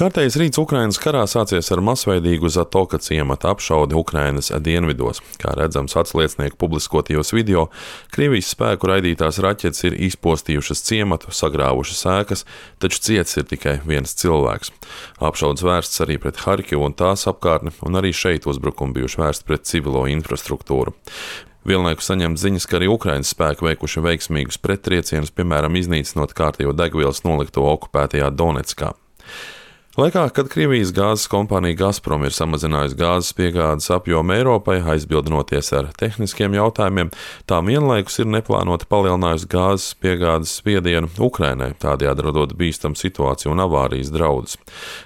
Kārtējs rīts Ukrainas karā sācies ar masveidīgu Zatoka ciemata apšaudi Ukrainas dienvidos. Kā redzams atsliecnieku publiskotajos video, Krievijas spēku raidītās raķetes ir izpostījušas ciematu, sagrāvušas ēkas, taču cietis ir tikai viens cilvēks. Apšaudes vērsts arī pret Harkivu un tās apkārtni, un arī šeit uzbrukumi bijuši vērsti pret civilo infrastruktūru. Vienlaikus saņemt ziņas, ka arī Ukrainas spēki veikuši veiksmīgus prettriecienus, piemēram, iznīcinot kārtējo degvielas nolikto okupētajā Donetskā. Laikā, kad Krievijas gāzes kompānija Gazprom ir samazinājusi gāzes piegādes apjomu Eiropai, aizbildinoties ar tehniskiem jautājumiem, tā vienlaikus ir neplānoti palielinājusi gāzes piegādes spiedienu Ukrainai, tādējādi radot bīstamu situāciju un avārijas draudus.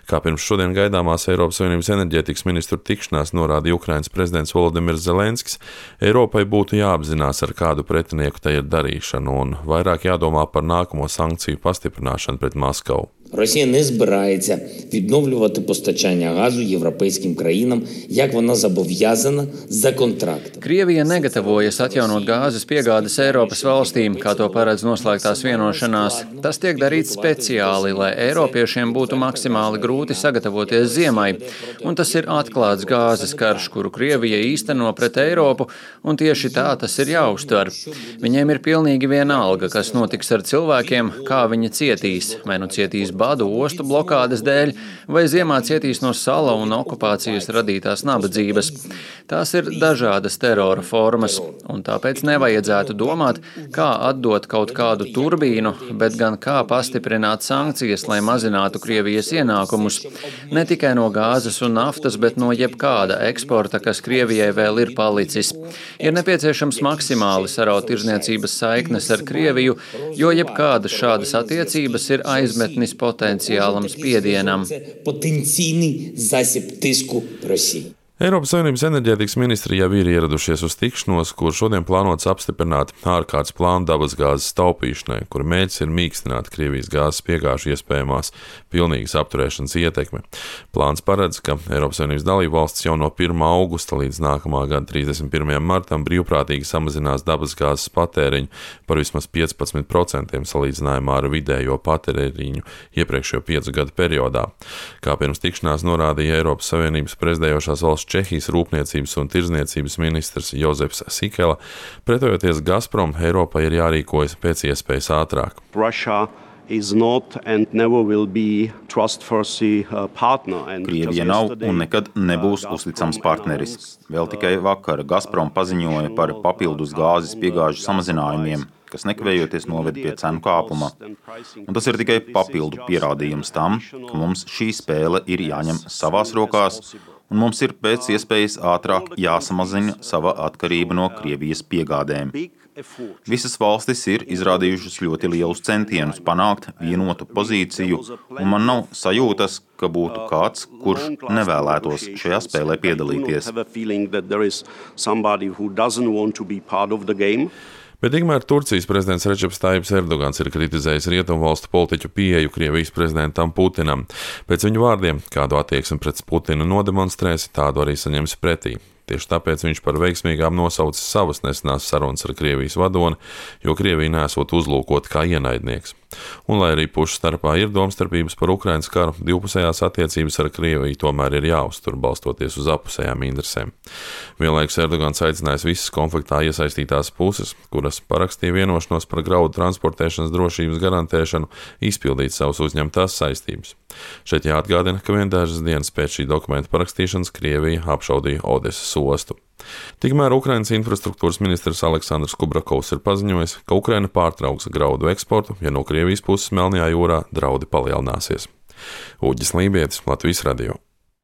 Kā pirms šodien gaidāmās Eiropas Savienības enerģētikas ministru tikšanās norādīja Ukrainas prezidents Volodimirs Zelenskis, Eiropai būtu jāapzinās, ar kādu pretinieku tai ir darīšana, un vairāk jādomā par nākamo sankciju pastiprināšanu pret Maskavu. Росія не збирається відновлювати постачання газу європейським країнам, як вона зобов'язана за контрактом. Krievija negatavojas atjaunot gāzes piegādes Eiropas valstīm, kā to paredz noslēgtās vienošanās. Tas tiek darīts speciāli, lai eiropiešiem būtu maksimāli grūti sagatavoties ziemai, un tas ir atklāts gāzes karš, kuru Krievija īsteno pret Eiropu, un tieši tā tas ir jāuztver. Viņiem ir pilnīgi vienalga, kas notiks ar cilvēkiem, kā viņi cietīs, vai nu cietīs badu ostu blokādes dēļ, vai ziemā cietīs no sala un okupācijas radītās nabadzības. Tās ir dažādas terora formas, un tāpēc nevajadzētu domāt, kā atdot kaut kādu turbīnu, bet gan kā pastiprināt sankcijas, lai mazinātu Krievijas ienākumus. Ne tikai no gāzes un naftas, bet no jebkāda eksporta, kas Krievijai vēl ir palicis. Ir nepieciešams maksimāli saraut tirzniecības saiknes ar Krieviju, jo jebkādas šādas attiecības ir aizmetnis potenciālam spiedienam. Eiropas Savienības enerģētikas ministri jau ir ieradušies uz tikšanos, kur šodien plānots apstiprināt ārkārtas plānu dabasgāzes taupīšanai, kur mērķis ir mīkstināt Krievijas gāzes piegāžu iespējamās pilnīgas apturēšanas ietekmi. Plāns paredz, ka Eiropas Savienības dalībvalstis jau no 1. augusta līdz nākamā gada 31. martam brīvprātīgi samazinās dabasgāzes patēriņu par vismaz 15% salīdzinājumā ar vidējo patēriņu iepriekšējo 5 gadu periodā. Kā pirms tikšanās norādīja Eiropas Savienības prezidējošās valsts Čehijas rūpniecības un tirzniecības ministrs Jozefs Sikela, pretojoties Gazprom, Eiropai ir jārīkojas pēc iespējas ātrāk. Krievija nav un nekad nebūs uzticams partneris. Vēl tikai vakar Gazprom paziņoja par papildus gāzes piegāžu samazinājumiem, kas nekavējoties noved pie cenu kāpuma. Un tas ir tikai papildu pierādījums tam, ka mums šī spēle ir jāņem savās rokās, un mums ir pēc iespējas ātrāk jāsamazina sava atkarība no Krievijas piegādēm. Visas valstis ir izrādījušas ļoti lielus centienus panākt vienotu pozīciju, un man nav sajūtas, ka būtu kāds, kurš nevēlētos šajā spēlē piedalīties. Bet tikmēr Turcijas prezidents Redžeps Tajibs Erdogans ir kritizējis rietumvalstu politiķu pieeju Krievijas prezidentam Putinam. Pēc viņu vārdiem, kādu attieksmi pret Putinu nodemonstrēs, tādu arī saņems pretī. Tieši tāpēc viņš par veiksmīgām nosaucis savas nesenās sarunas ar Krievijas vadoni, jo Krievija nesot uzlūkot kā ienaidnieks. Un, lai arī pušu starpā ir domstarpības par Ukrainas karu, divpusējās attiecības ar Krieviju tomēr ir jāuztur, balstoties uz apusējām interesēm. Vienlaikus Erdogans aicinājis visas konfliktā iesaistītās puses, kuras parakstīja vienošanos par graudu transportēšanas drošības garantēšanu, izpildīt savus uzņemtās saistības. Šeit jāatgādina, ka vien dažas dienas pēc šī dokumenta parakstīšanas Krievija apšaudīja Odesas ostu. Tikmēr Ukrainas infrastruktūras ministrs Aleksandrs Kubrakovs ir paziņojis, ka Ukraina pārtrauks graudu eksportu, ja no Krievijas puses Melnajā jūrā draudi palielināsies. Uģis Lībietis, Latvijas radio.